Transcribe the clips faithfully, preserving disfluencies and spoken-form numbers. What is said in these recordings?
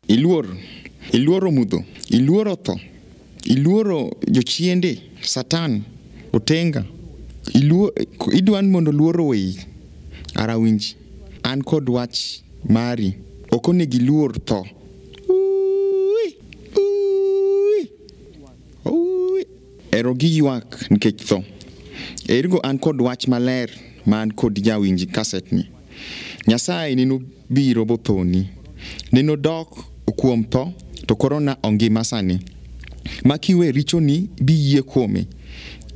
Iluor, iluoro mudho, iluoro tho, iluoro jochiende, Satan, otenga. Iluo, idwa ni mondo luoro oweyi. Ara winji, an kod wach mari. Ok onego iluor tho. Ui, ui, ui. Ero giywak nikech tho. Ergo an kod wach maler ma an kod jawinj kaset ni. Nyasaye neno biro bothoni. Neno dok kuom tho to koro na ongima sani. Ma kiwe richoni biyie kuome.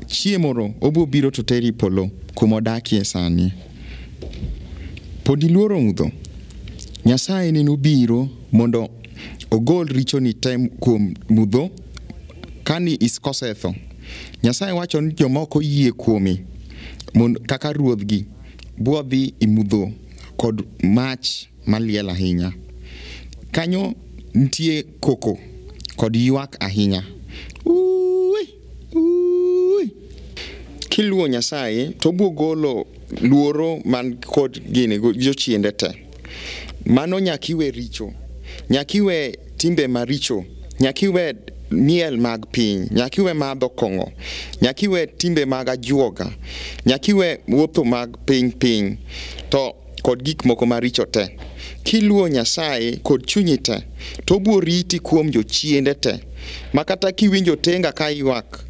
Chieng' moro obiro biro to teri polo kuma odakie sani. Pod iluoro mudho? Nyasaye neno biro mondo ogol richoni te kuom mudho kani is kosetho. Nyasaye wacho ni joma ok oyie kuome mondo kaka ruodhgi biro dhi e mudho kod mach maliel ahinya. Kanyo nitie koko kod ywak ahinya. Ui, ui. Kiluwo Nyasaye to obiro golo luoro man kod gini jochiende te. Mano nyaka iwe richo, nyaka iwe timbe maricho, nyaka iwe miel mag piny, nyaka iwe madho kong'o, nyaka iwe timbe mag ajuoga, nyaka iwe wuotho mag piny piny to kod gik moko maricho te. Kiluwo Nyasaye kod chunyi te, to obiro riti kuom jochiende te. Ma kata kiwinjo otenga ka ywak,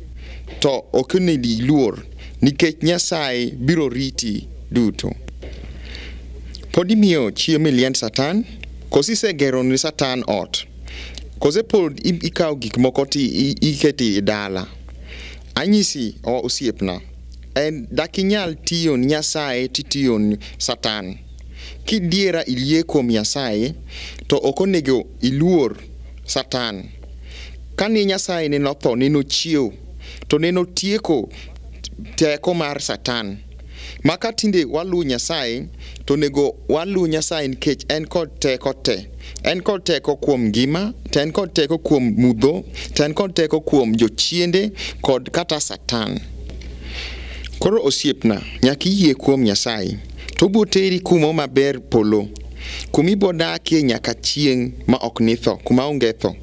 to ok onego iluor nikech Nyasaye biro riti duto. Pod imiyo chiemo e liend Satan? Koso isegero ne Satan ot? Kose pod ikawo gik moko to iketo e dala? Anyisi osiepna, en dak inyal tiyo ni Nyasaye titiyo ni Satan. Kidiera iyie kuom Nyasaye, to ok onego iluor Satan. Kane Nyasaye nene otho, nene ochiewo, to nene otieko teko mar Satan. Ma ka tinde waluwo Nyasaye, to onego waluw Nyasaye nikech en kod teko te. En kod teko kuom ngima, to en kod teko kuom mudho, to en kod teko kuom jochiende kod kata Satan. Koro osiepna, nyaka iyie kuom Nyasaye, to obiro teri kumo maber polo, kuma ibiro dakie nyaka chieng' ma ok nitho, kuma onge tho.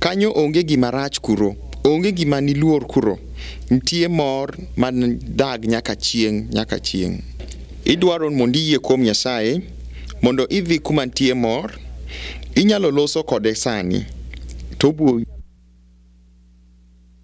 Kanyo onge gima rach kuro, onge gima niluor kuro. Nitie mor man dag nyaka chieng' nyaka chieng'. Idwaro mondo iyie kuom Nyasaye, mondo idhi kuma nitie mor, inyalo loso kode sani, to obiro